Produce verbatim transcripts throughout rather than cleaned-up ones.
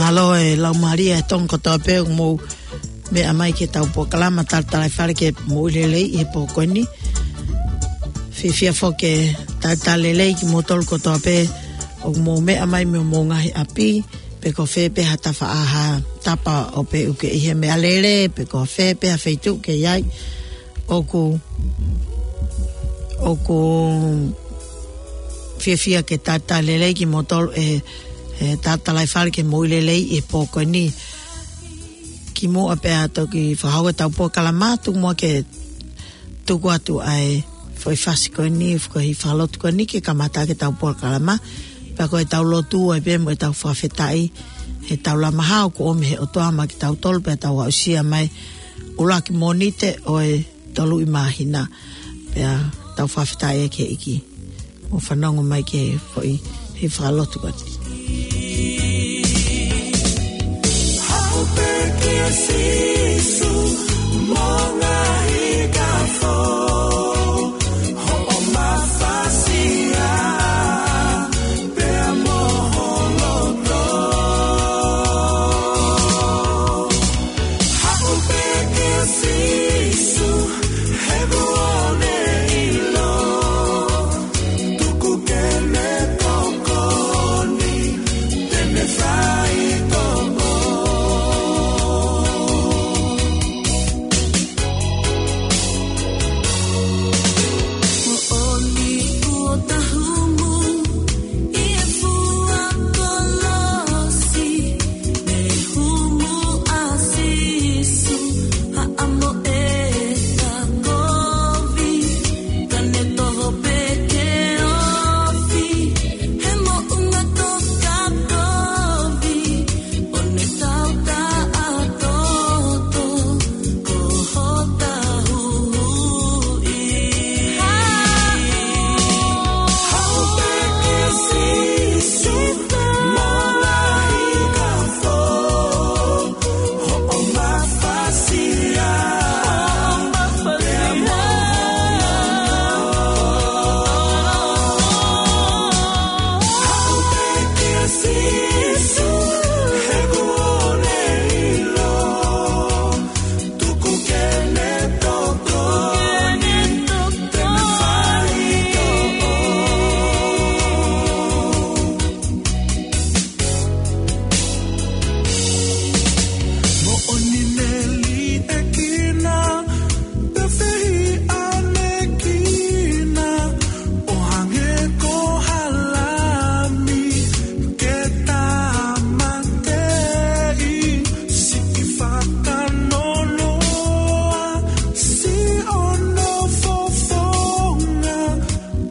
Mālō e laumālie ʻa e Tonga kotoa pē ʻoku mou meʻa mai ki heʻetau polokalama Talatalaifale ke Moʻui Lelei ʻi he pō ko eni. Fiefia foki ke talitali lelei kimoutolu kotoa pē ʻoku mou meʻa mai mei homou ngaahi ʻapi, pe ko fē pē ha tafaʻaha tapa ʻoku pē ʻoku ke ʻi he meʻalele, pe ko fē pē ha feituʻu ʻoku ke ʻi ai. ʻOku, ʻoku fiefia ke talitali lelei kimoutolu ʻe he Talatalaifale ke Moʻui Lelei ʻi he pō ko eni. Kimuʻa pea toki fakahoko ʻetau polokalama, tuku muʻa ke tuku atu ʻa e foʻi fasi ko eni, foʻi fakalotu ko eni ke kamata ʻaki ʻetau polokalama. Pea ko ʻetau lotu ai pē mo ʻetau fakafetaʻi he tau lamaha ʻoku ʻomi he ʻOtua maʻa kitautolu pea tau aʻusia mai ʻuluaki Mōnite ʻo e tolu ʻi māhina. Pea tau fakafetaʻi ki he ʻEiki. Mou fanongo mai ki he foʻi, he fakalotu ko eni. Haʻu pē kia Sīsū, mo ngaahi kafo, hoʻo mafasia, pea mo ho loto. Haʻu pē kia Sīsū, he kuo ne ʻilo, tuku ke ne tokoni, te ne faitoʻo. Moʻoni kuo ta humu ʻi he fua kolosi, mei he humu ʻa Sīsū, haʻamo e ta kovi, ka ne toho pē ke ofi, he moʻunga toka kovi, ʻo ne tau taʻatoto, ko hota huhuʻi. Haʻu pē kia Sīsū, mo ngaahi kafo, hoʻo mafasia, pea mo ho loto. Haʻu pē kia Sīsū, he kuo ne ʻilo, tuku ke ne tokoni, te ne faitoʻo. Moʻoni ne liʻekina, pea fehiʻanekina, ʻo hangē ko ha lami ke tāmateʻi, siʻi fakanonoa, siʻono fofonga,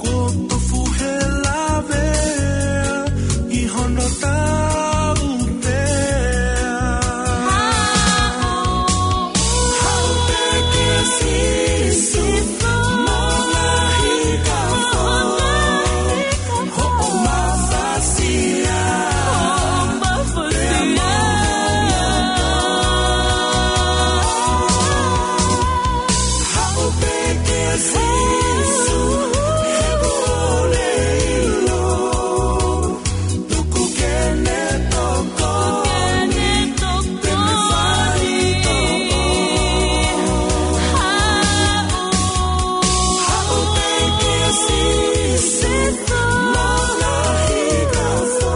kuo tofu he lavea ʻi hono tautea. Haʻu pē kia Sīsū, mo ngaahi kafo, hoʻo mafasia, pea mo ho loto. Haʻu pē kia Sīsū, he kuo ne ʻilo, tuku ke ne tokoni, te ne faitoʻo. Haʻu pē kia Sīsū, mo ngaahi kafo,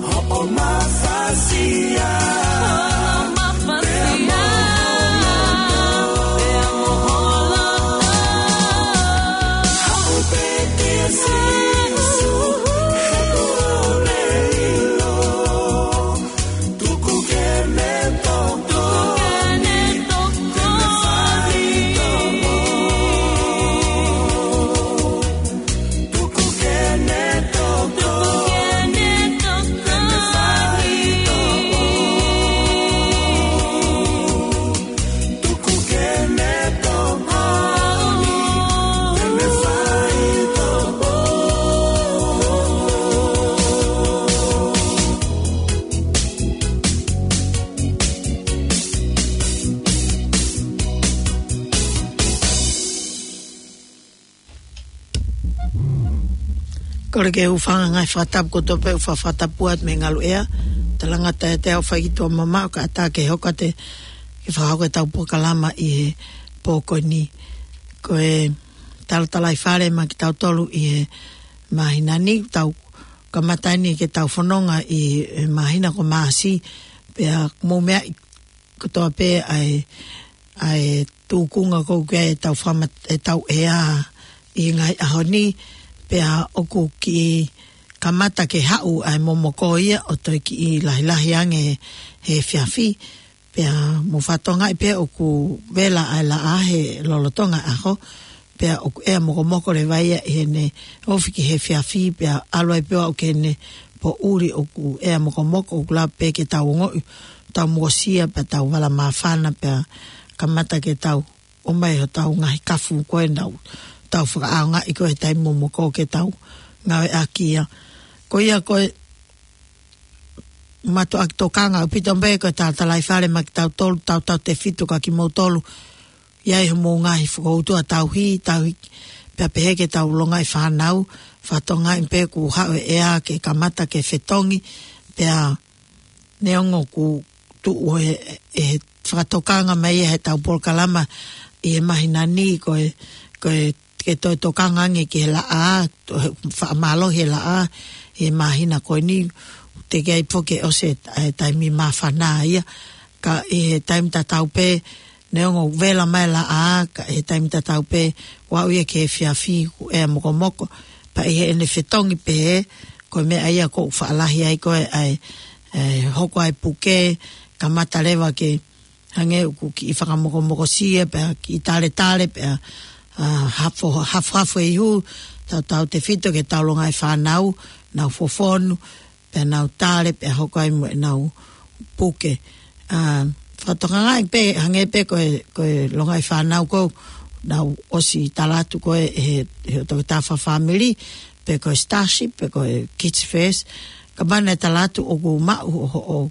hoʻo mafasia, pea mo ho loto. Haʻu pē kia Sīsū, he kuo ne ʻilo, tuku ke ne tokoni, te ne faitoʻo. Tuku ke ne tokoni, te ne faitoʻo. Tuku ke ne tokoni, te ne faitoʻo. Kole ke u hūfanga he ngaahi fakatapu kotoa pē ʻoku fakatapu atu mei he ngaluʻea. Talangata e te au fai ki tuʻa mamaʻo ka ʻatā ke hoko atu ke fakahoko ʻetau polokalama ʻi he pō ko eni. Ko e talatalaifale maʻa kitautolu ʻi he māhina ni, tau kamata eni ke tau fononga ʻi he māhina ko Maʻasi, pea mou meaʻi kotoa pē ʻa e, ʻa e tūkunga ko ē ʻoku ʻi ai ʻetau fakamat-, ʻetau ʻea ʻi he ngaahi ʻaho ni, pea ʻoku kiʻi kamata ke haʻu ʻa e momoko ia ʻo toe kiʻi lahilahi ange he efiafi, pea mou fakatokangaʻi pē ʻoku vela ʻa e laʻā he lolotonga ʻaho, pea ʻoku ʻea mokomoko leva ia ʻi heʻene ofi ki he efiafi, pea ʻalu ai pē ʻo aʻu ki heʻene poʻuli ʻoku ʻea mokomoko, ʻoku lava pē ke tau ongoʻi, tau mokosia, pea tau vala māfana, pea kamata ke tau ʻomai hotau ngaahi kafu ko ē naʻa tau fakaʻaongaʻi ko ē he taimi momoko ke tau ngāueʻaki ia. Ko ia ko e mātuʻaki tokanga ʻaupito pē ko e talatalaifale maʻa kitautolu, tautautefito kia kimoutolu, ʻi ai homou ngaahi fokoutua tauhi, tauhi, pea pehē ki heʻetau longaʻi fānau, fakatokangaʻi pē kuo haʻu e ʻea ke kamata ke fetongi, pea neongo kuo tuʻu he, he fakatokanga mai ia heʻetau polokalama ʻi he māhina ni ko e, ko e ke toe tokanga ange ki he laʻā, to-, he fakamālohi e laʻā, he māhina ko eni, teʻeki ai foki ke ʻosi e, e taimi māfana ia, ka ʻi he taimi tatau pē, neongo vela mai laʻā, ka ʻi he taimi tatau pē, ʻoku aʻu ia ki he efiafi, ʻoku ʻea mokomoko, pea ʻi heʻene fetongi pē, ko e meʻa ia ʻoku faʻa lahi ai ko ē ʻa e, e, hoko ʻa e puke, kamata leva ke, hangē ʻoku kiʻi fakamokomokosia, pea kiʻi taletale, pea, ʻa, hafo, hafohafo e ihu, tautautefito ki heʻetau longaʻi fānau, nau fofonu, pea nau tale, pea hoko ai mo ʻenau puke. ʻA, fakatokangaʻi pē, hangē pē ko e, ko e longaʻi fānau ko ē, naʻa ku ʻosi tala atu ko ē he, he toketā fakafāmili, pe ko e Starship, pe ko e Kids First, ka mana e tala atu ʻoku maʻu ho, ho,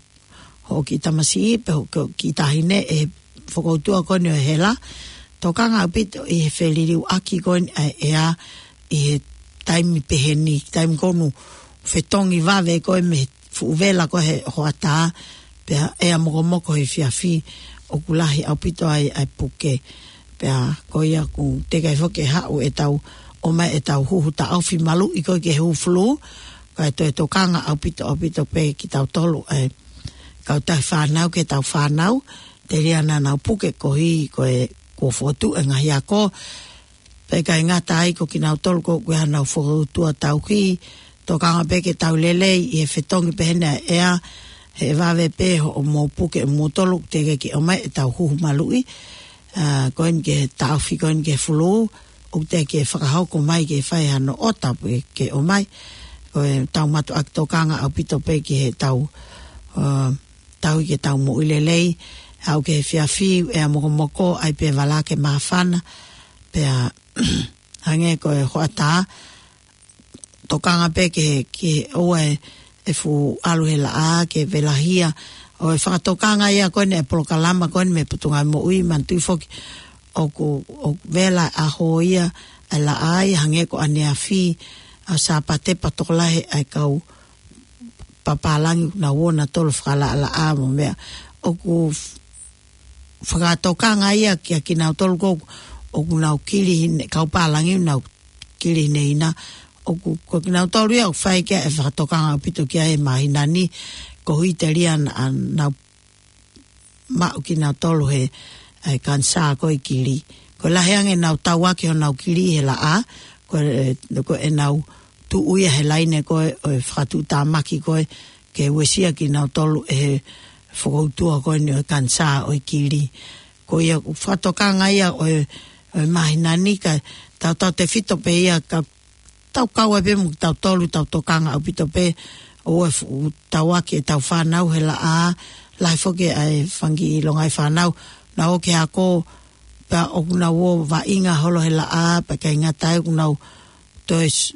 hoʻo kiʻi tamasiʻi, pe hoʻo kiʻi taʻahine ʻe he fokoutua ko eni ʻo e hela. Tokanga ʻaupito ʻi he feliliuaki ko eni ʻa e ʻea ʻi he taimi pehē ni, taimi ko ē ʻoku fetongi vave ko ē mei he fuʻu vela ko ē he hoʻatā, pea ʻea mokomoko he efiafi, ʻoku lahi ʻaupito ai ʻa e puke. Pea ko ia ʻoku teʻeki ai foki ke haʻu ʻetau, ʻomai ʻetau huhu taʻofi maluʻi ko ē ki he huhu fulū, kae toe tokanga ʻaupito, ʻaupito pē kitautolu ʻa e kautahi fānau ki heʻetau fānau, telia naʻa nau puke koeʻuhi ko e kuo fokotuʻu e ngaahi ako, pea ʻikai ngata ai ko kinautolu ko ē ʻoku ʻi ai haʻanau fokoutua tauhi, tokanga pē ke tau lelei ʻi he fetongi pehē ni ʻa e ʻea, he ʻe vave pē hoʻomou puke ʻe moutolu, teʻeki ke ʻomai ʻetau huhu maluʻi, ʻa, ko eni ki he taʻofi ko eni ki he fulū, ʻoku teʻeki ke fakahoko mai ke fai hano ʻota pe ke ʻomai. Ko ʻetau mātuʻaki tokanga ʻaupito pē ki heʻetau, ʻa, tauhi ke tau moʻui lelei, aʻu ki he efiafi, ʻea mokomoko, ʻai pē vala ke māfana, pea hangē ko e hoʻatā, tokanga pē ke, ke ʻoua ʻe, ʻe fuʻu ʻalu he laʻā, ke velahia. ʻO e fakatokanga ia ko eni e polokalama ko eni mei he Potungāue Moʻui, manatuʻi foki ʻoku, ʻoku vela ʻaho ia, e laʻā ia hangē ko ʻaneafi, ʻa Sāpate pea tokolahi e kau papālangi ʻoku nau ō nautolu fakalaʻalaʻā mo e meʻa. ʻOku f-, fakatokanga ia kia kinautolu ko ē ʻoku nau kili hine, kau pālangi ʻoku nau kili hineina. ʻOku, ko kinautolu ia ʻoku fai ki ai e fakatokanga ʻaupito ki ai he māhina ni, koeʻuhi telia naʻa nau maʻu kinautolu he, e kanisā ko ē kili. Ko e lahi ange ʻenau tauaki honau kili he laʻā, ko e, ko ʻenau tuʻu ia he laine ko ē ʻo e fakatuʻutāmaki ko ē, ke uesia kinautolu ʻe he fokoutua ko eni ʻo e kanisā ʻo e kili. Ko ia ʻoku fakatokanga ia ʻo e, ʻo e māhina ni ka tautautefito pē ia ka tau kau ai pē mo kitautolu, tau tokanga ʻaupito pē ʻoua ʻe fuʻu tauaki ʻetau fānau he laʻā, lahi foki ʻa e fanga kiʻi longaʻi fānau, nau ō ki he ako, pea ʻoku nau ō vaʻinga holo he laʻā, pea ʻikai ngata ai ʻoku nau toe s-,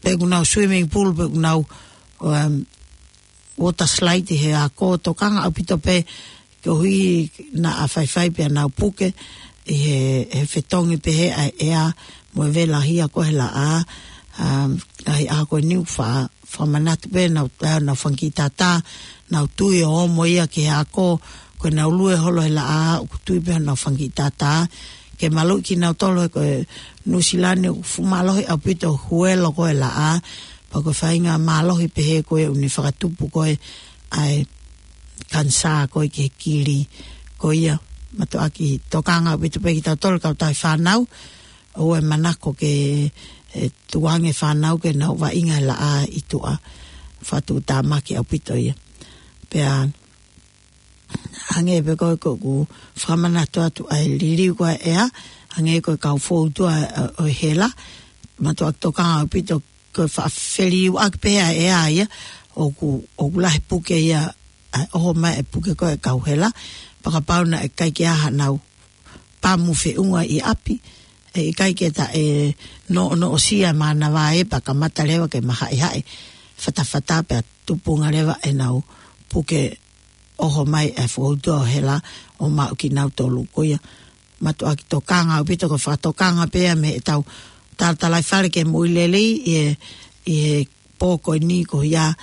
pe ʻoku nau swimming pool, pe ʻoku nau, um, water slide he ako, tokanga ʻaupito pē, koeʻuhi naʻa faifai pea nau puke, ʻi he, he fetongi pehē ʻa e ʻea, mo e velahia ko ē he laʻā, um, ʻa e ako ni ʻoku fa-, fakamanatu pē, nau, nau fanga kiʻi tātā, nau tui ʻo ʻomo ia ki he ako, ko ʻenau lue holo he laʻā, ʻoku tui pē honau fanga kiʻi tātā, ke maluʻi kinautolu he ko e Nuʻusila ni ʻoku fuʻu mālohi ʻaupito huelo ko e laʻā, pea ko e faʻahinga mālohi pehē ko ē ʻoku ne fakatupu ko ē ʻa e kanisā ko ē ki he kili. Ko ia, mātuʻaki tokanga ʻaupito pē kitautolu kautaha fānau, ʻoua ʻe manako ke, ʻe, tukuange fānau ke nau vaʻinga he laʻā ʻi tuʻa. Fakatuʻutāmaki ʻaupito ia. Pea, hangē pē ko ē ʻoku ou fakamanatu atu ʻa e liliu ko ē ʻa e ʻea, hangē ko e kau foutua ʻo, ʻo e hela, mātuʻaki tokanga ʻaupito ko e faʻa feliuʻaki pē ʻa e ʻea ia, ʻoku, ʻoku lahi puke ia, ʻa e ʻoho mai e puke ko ē ʻa e kau hela, pea kapau naʻe ʻikai ke ʻi ai haʻanau pamu feʻunga ʻi ʻapi, ʻe ʻikai ke ta ʻe noʻonoʻosia mānava ē pea kamata leva ke mahaʻihaʻi fatafata pea tupunga leva ʻenau puke ʻoho mai e foutua ʻo e hela ʻo maʻu kinautolu. Ko ia, mātuʻaki tokanga ʻaupito, ko e fakatokanga pē ia mei heʻetau talatalaifale ki he moʻui lelei ʻi he, ʻi he pō ko eni ko ia,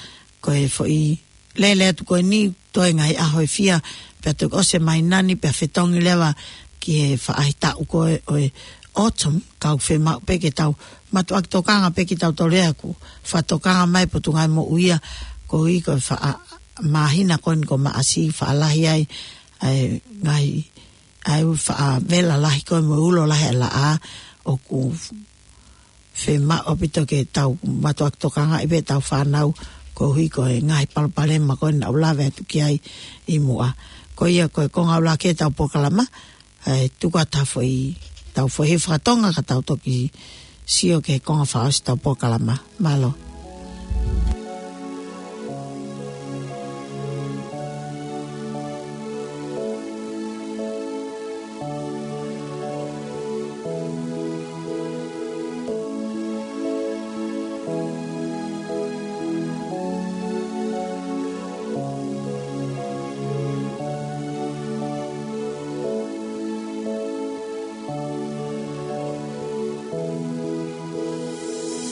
ko e foʻi lele atu ko eni, toe ngaahi ʻaho ʻe fiha, pea toki ʻosi e māhina ni, pea fetongi leva ki he faʻahitaʻu ko ē ʻo e autumn, ka ʻoku fiemaʻu pē ke tau mātuʻaki tokanga pē kitautolu ia ʻoku fakatokanga mai e Potungāue Moʻui ia, koeʻuhi ko e faʻa māhina ko eni ko Maʻasi faʻa lahi ai ʻa e ngaahi, ʻa e faʻa vela lahi ko ē mo e ulo lahi ʻa e laʻā, ʻoku fiemaʻu ʻaupito ke tau mātuʻaki tokangaʻi pē ʻetau fānau koeʻuhi ko e ngaahi palopalema ko ē naʻa ku lave atu ki ai ʻi muʻa. Ko ia ko e konga ʻuluaki ʻetau polokalama, ʻe tuku atu ha foʻi, tau foʻi fakatonga ka tau toki sio ki he konga fakaʻosi ʻetau polokalama. Mālō.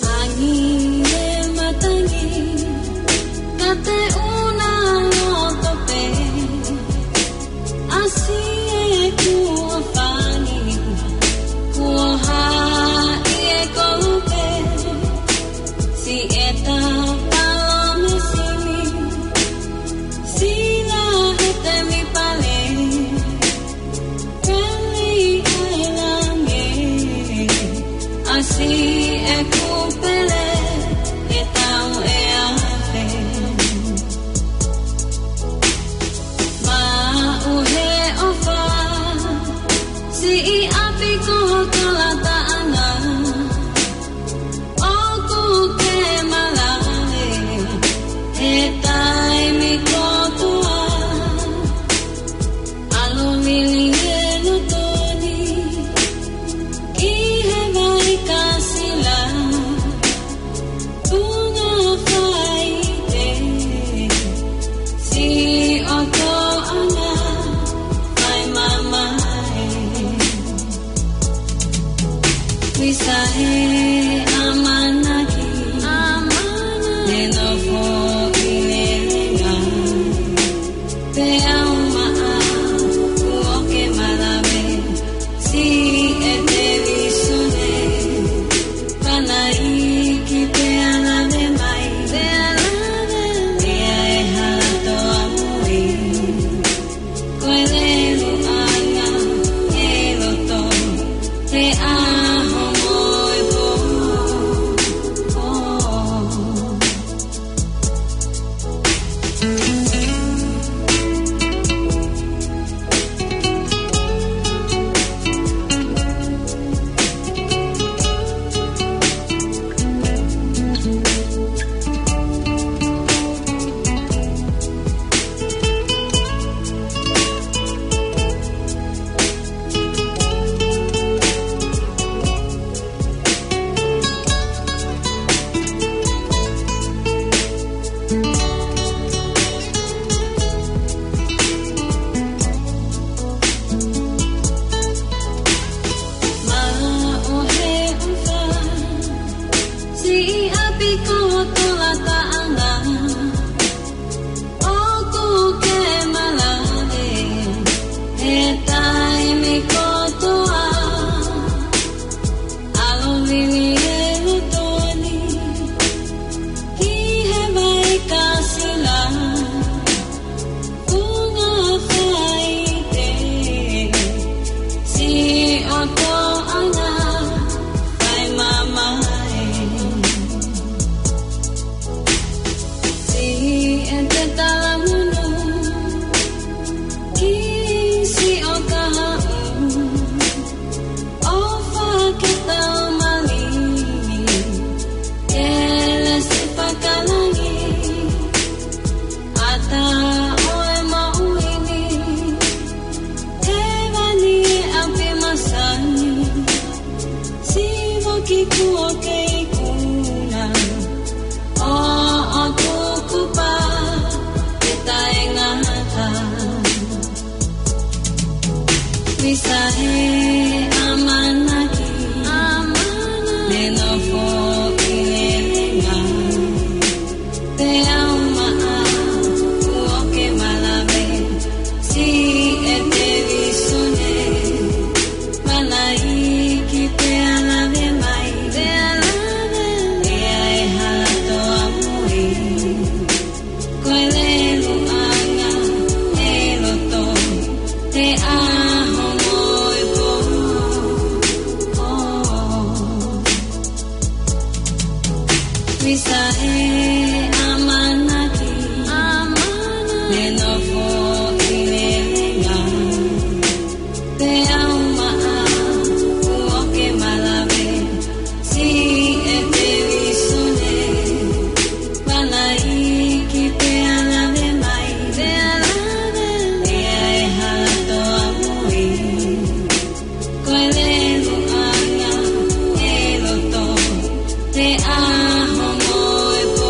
Tangi e matangi, ka te u na loto pē. ʻAsi e kuo fangi, kuo haʻi e kolupe. Siʻeta palomesini, sila he temipale. Peli ʻa e langi, ʻasi e kūpele, ʻe tau ʻe afe. Maʻu he ʻofa, siʻi ʻapi ko hoku lataʻanga. ʻOku ke malave he taimi kotoa. ʻAlu vili e loto ni ki he vai kasila. Tunga faite, siʻotoʻanga fai mamae. Visa he ʻamanaki, ʻamanaki. Ne nofo ʻi he lelei. Te au maʻa, kuo ke malave, si e te visone. Panaiki te alave mai, te alave. Te ae hala toa mui. Ko e lelu anga e loto, te aho mo e pō. Maʻu he ʻofa, siʻi ʻapi ko hoku lataʻanga. Visa e amanaki, me nofo i le lenga. Pe au maʻa, kuo ke malave, si e pelisone. Palaiki pe alave mai, pe alave, e ai hala toa mui. Ko e lelu anga e loto, te aho mo e pō.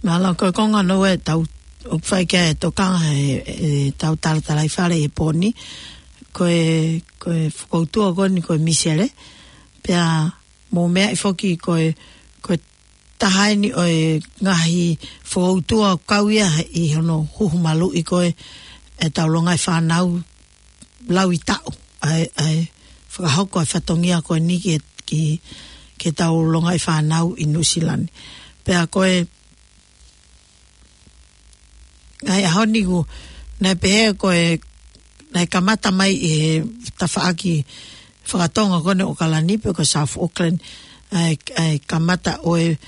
Mālō, ko e konga noa ē tau, ʻoku fai ki ai e tokanga he, ʻetau talatalaifale he pō ni, ko e, ko e fokoutua ko eni ko e misele, pea mou meaʻi foki ko e, ko e taha eni ʻo e ngaahi fokoutua kau ia ʻi hono huhu maluʻi ko ē ʻetau longaʻi fānau lau ʻi taʻu, ʻa e, ʻa e fakahoko e fatongia ko eni ki, ki, ki heʻetau longaʻi fānau ʻi Nuʻusila ni. Pea ko e, ngaahi ʻaho ni kuo, naʻe pehē ko e, naʻe kamata mai ʻi he tafaʻaki fakatonga ko eni ʻo ʻAokalani pe ko South Auckland, ʻa e, ʻa e kamata ʻo e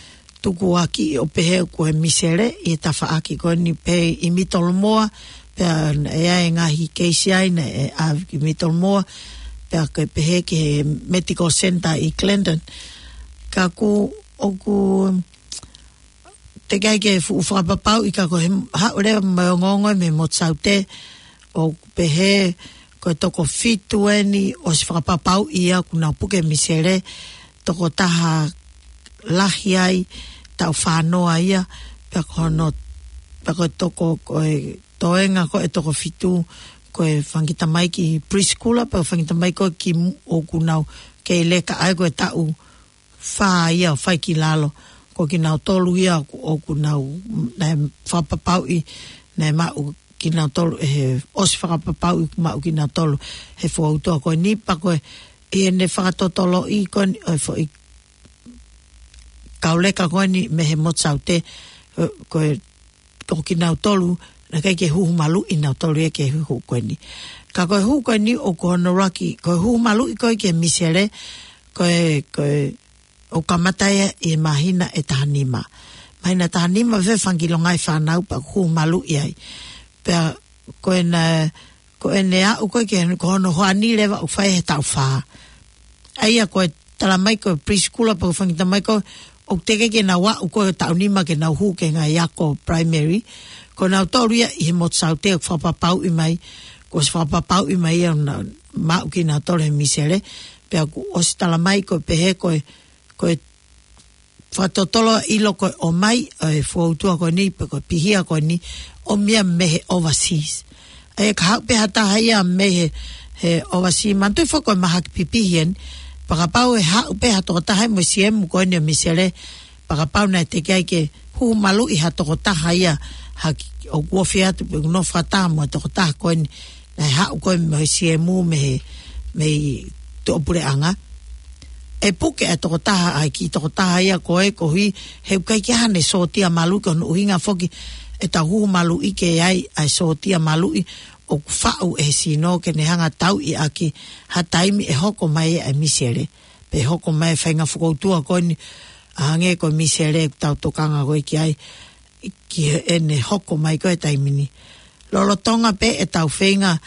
tukuakiʻi ʻo pehē ko e misele ʻi he tafaʻaki ko eni pē ʻi Middlemore, pea ʻe ʻi ai e ngaahi keisi ai naʻe ʻave ki Middlemore, pea ko e pehē ki he Medical Centre ʻi Clinton. Ka kuo, ʻoku teʻeki ai ke fuʻu fakapapauʻi ka ko e haʻu leva mo e ongoongo mei Motu Saute ʻo pehē ko e toko fitu eni ʻosi fakapapauʻi ia kuo nau puke misele, tokotaha lahi ai, taʻu fā noa ia, pea ko hono, pea ko e toko, ko e toenga ko e toko fitu, ko e fanga kiʻi tamaiki preschooler, pea ko e fanga kiʻi tamaiki ko ē ki mu-, ʻoku nau kei leka ai ko e taʻu fā ia ʻo fai ki lalo. Ko kinautolu ia ʻoku, ʻoku nau, naʻe fakapapauʻi, naʻe maʻu kinautolu ʻe he, ʻosi fakapapauʻi maʻu kinautolu he fokoutua ko eni pea ko e, ʻi heʻene fakatotoloʻi ko eni, ʻo e foʻi kau leka ko eni mei he Motu Saute, ʻo, ko e ko kinautolu, naʻe ʻikai ke huhu maluʻi nautolu ia ki he huhu ko eni. Ka ko e huhu ko eni ʻoku hono ʻuluaki, ko e huhu maluʻi ko ē ki he misele, ko e, ko e, ʻoku kamata ia ʻi he māhina ʻe taha nima. Māhina taha nima ʻe fanga kiʻi longaʻi fānau pea huhu maluʻi ai. Pea ko ena, ko ʻene aʻu ko ē ki he, ko hono hoani leva ʻoku fai he taʻu fā. ʻA ia ko e talamai ko e preschooler pe ko e fanga kiʻi tamaiki ʻoku teʻeki ke nau aʻu ko e taʻu nima ke nau hū ki he ngaahi ako primary. Ko nautolu ia ʻi he Motu Saute ʻoku fakapapauʻi mai, kuo ʻosi fakapapauʻi mai ia naʻa nau maʻu kinautolu he misele. Pea kuo ʻosi talamai ko e pehē ko e, ko e fakatotolo ʻilo ko e ʻomai ʻo e fokoutua ko eni pe ko e pihia ko eni ʻomi ia mei he overseas. ʻA ia ka haʻu pē ha taha ia mei he, he overseas, manatuʻi foki ko e mahaki pipihi eni, pea kapau ʻe haʻu pē ha tokotaha ia mo e siemu ko eni ʻo e misele, pea kapau naʻe teʻeki ai ke huhu maluʻi ha tokotaha ia, ha kiʻi, ʻoku ofi atu pe ʻoku nofo fakataha mo e tokotaha ko eni, naʻe haʻu ko ē mo e siemu mei he, mei tuʻapuleʻanga. ʻE puke ʻa e tokotaha, ʻa e kiʻi tokotaha ia ko ē koeʻuhi he ʻoku ʻikai ke ʻi ai haʻane sōtia maluʻi, ko hono ʻuhinga foki ʻetau huhu maluʻi ke ʻi ai ʻa e sōtia maluʻi ʻoku faʻu ʻe he sino ke ne hanga tauʻi ʻaki ha taimi ʻe hoko mai ʻa e misele. Pe hoko mai e faʻahinga fokoutua ko eni, ʻa hangē ko e misele ʻoku tau tokanga ko ē ki ai. ki heʻene hoko mai ko ē he taimi ni. Lolotonga pē ʻetau feinga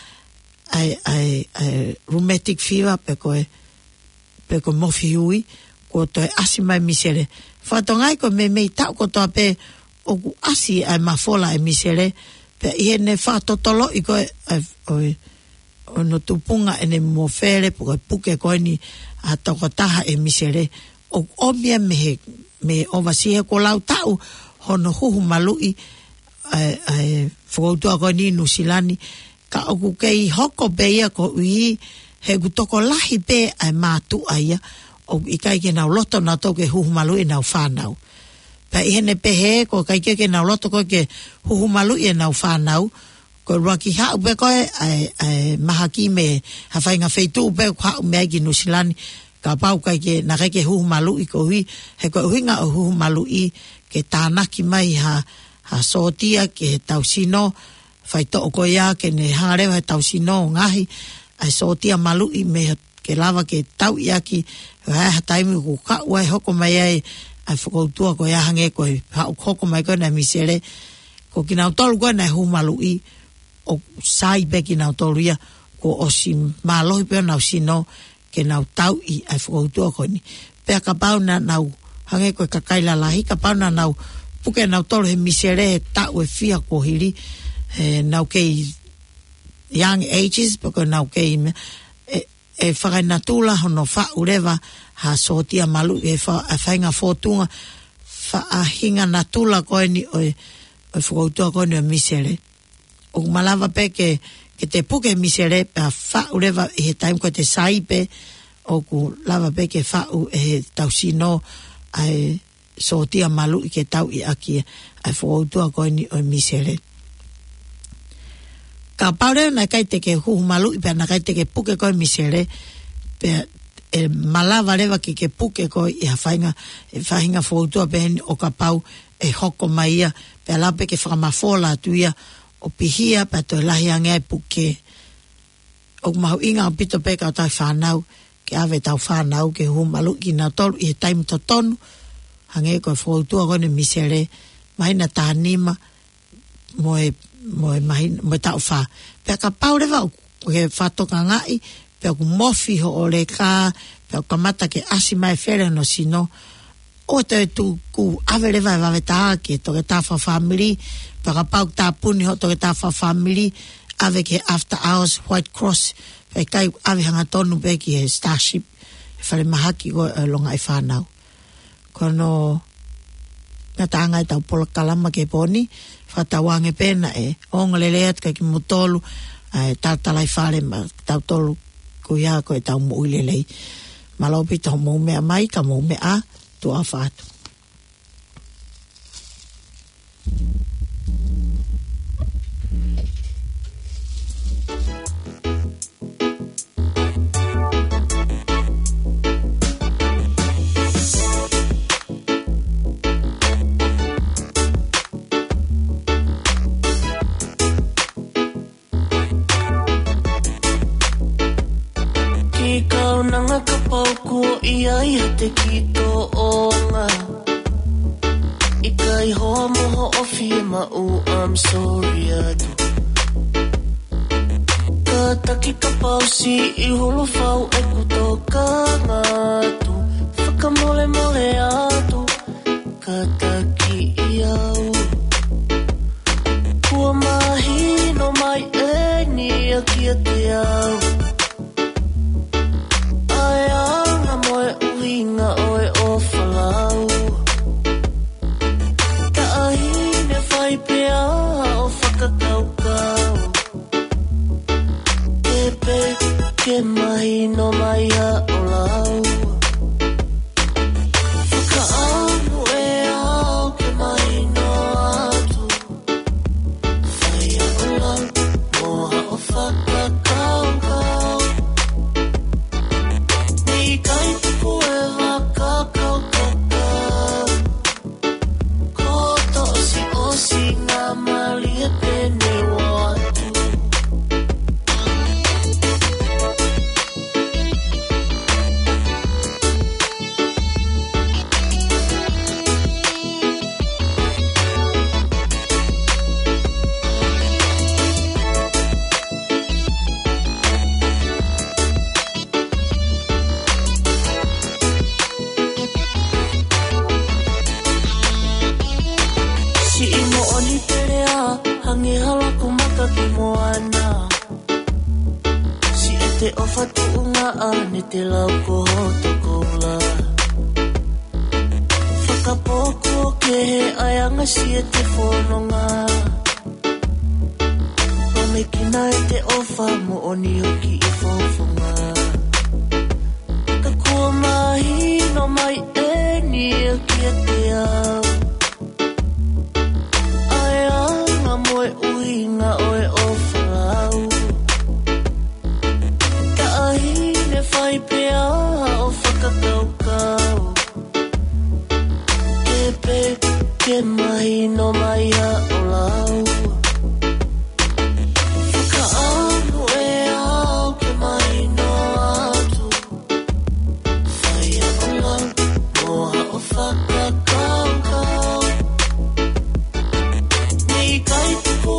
ʻa e, ʻa e, ʻa e rheumatic fever pe ko e, pe ko e mofi ui, kuo toe ʻasi mai e misele. Fakatokangaʻi ko e meimei taʻu kotoa pē ʻoku ʻasi ʻa e mafola ʻa e misele, pea ʻi heʻene fakatotoloʻi ko ē ʻa e, ʻo e, ʻo hono tupunga ʻene mofele pe ko e puke ko eni ʻa e tokotaha e misele, ʻoku ʻomi ia mei he, mei he ʻovasi he kuo lau taʻu hono huhu maluʻi ʻa e, ʻa e fokoutua ko eni ʻi Nuʻusila ni, ka ʻoku kei hoko pē ia koeʻuhi he ʻoku tokolahi pē ʻa e mātuʻa ia ʻoku ʻikai ke nau loto nautolu ke huhu maluʻi ʻenau fānau. Pea ʻi heʻene pehē, ko e ʻikai ke, ke nau loto ko ē ke huhu maluʻi ʻenau fānau, ko e ʻuluaki haʻu pē ko ē ʻa e, ʻa e mahaki mei ha faʻahinga feituʻu pē ʻoku haʻu mei ai ki Nuʻusila ni, kapau ʻikai ke, naʻe ʻikai ke huhu maluʻi koeʻuhi, he ko e ʻuhinga ʻo e huhu maluʻi ke tānaki mai ha, ha sōtia ki heʻetau sino, faitoʻo ko ia ke ne hanga leva heʻetau sino ʻo ngaohi ʻa e sōtia maluʻi mei he, ke lava ke tauʻi ʻaki, ʻa e ha taimi ʻoku kau ai hoko mai ai ʻa e fokoutua ko ia hangē ko e haʻu hoko mai ko ē ʻa e misele, ko kinautolu ko ē naʻe huhu maluʻi, ʻoku sai pē kinautolu ia, kuo ʻosi mālohi pē honau sino ke nau tauʻi ʻa e fokoutua ko eni. Pea kapau naʻa nau, hangē ko e kakai lalahi, kapau naʻa nau puke nautolu he misele he taʻu ʻe fiha kuo hili, he nau kei young ages, pe ko e nau kei meʻa, ʻe, ʻe fakaenatula hono faʻu leva ha sōtia maluʻi he fa-, ʻa e faʻahinga fōtunga, faʻahinga natula ko eni ʻo e, ʻo e fokoutua ko eni ʻo e misele. ʻOku malava pē ke, ke te puke misele pea faʻu leva ʻi he taimi ko ē te sai pē, ʻoku lava pē ke faʻu ʻe heʻetau sino ʻa e sōtia maluʻi ke tauʻi ʻaki ʻa e fokoutua ko eni ʻo e misele. Kapau leva naʻe ʻikai te ke huhu maluʻi pea naʻe ʻikai te ke puke ko ē misele, pea ʻe malava leva ke ke puke ko ē ʻi ha faʻahinga, ʻi ha faʻahinga fokoutua pehē ni ʻo kapau ʻe hoko mai ia, pea lava pē ke fakamafola atu ia ʻo pihia pea toe lahi ange ʻa e puke. ʻOku mahuʻinga ʻaupito pē kau tauhi fānau, ke ʻave ʻetau fānau ke huhu maluʻi kinautolu ʻi he taimi totonu, hangē ko e fokoutua ko eni ʻo e misele, māhina taha nima, mo e, mo e māhina, mo e taʻu fā. Pea kapau leva ʻoku ke fakatokangaʻi, pea ʻoku mofi hoʻo leka, pea ʻoku kamata ke ʻasi mai e fele hono sino, ʻoua te ke tuku, ʻave leva e vave tā ki he toketā fakafāmili, pea kapau ʻoku tāpuni hoʻo toketā fakafāmili, ʻave ki he after hours, White Cross, pea ʻikai ʻave hangatonu pē ki he Starship, he falemahaki ko ē ʻo e longaʻi fānau. Ko hono ngataʻanga ʻetau polokalama ki he pō ni, fakatauange pē naʻe ongo lelei atu kiate kimoutolu ʻa e talatalaifale maʻatautolu, ko ia ko ʻetau moʻui lelei. Mālō ʻaupito hoʻomou meʻa mai, ka mou meʻa ā, tuʻa ʻofa atu. Ki kaunanga kapau kuo ʻi ai ha teki tōʻonga. ʻIkai hoa mo hoʻo fiemaʻu, I'm sorry atu. Kātaki kapau siʻi hulu fau ʻeku tokanga atu. Fakamolemole atu, kātaki au. Kuo mahino mai eni ia kiate au ʻa e anga mo e ʻuhinga ʻo e ʻofa lau. Taʻahine, fai pē ā haʻo fakakaukau. Ke pē ke mahino mai haʻo lau. Fakaʻamu ʻe au ke mahino atu. Fai haʻo lau mo haʻo fakakaukau. Nge hala ko maka ki moana. Siʻete ʻofa tuʻunga ʻa ne te lau ko hoto koula. Fakapoko ke he ʻaiʻanga siʻete fononga. Pamekina ʻete ʻofa moʻoni hoki ʻi fofonga. Ka kuo mahino mai eni ʻe kiate au. ʻA e anga mo e ʻuhinga ʻo e ʻofa lau. Taʻahine fai pea ʻo fakakaukau. Ke pe ke mahino mai ʻa ʻo lau. Fakaʻamu ʻe au ke mahino atu. Fai ʻa ʻo lau, mo ha ʻo fakakaukau. Neʻi ʻikai tuku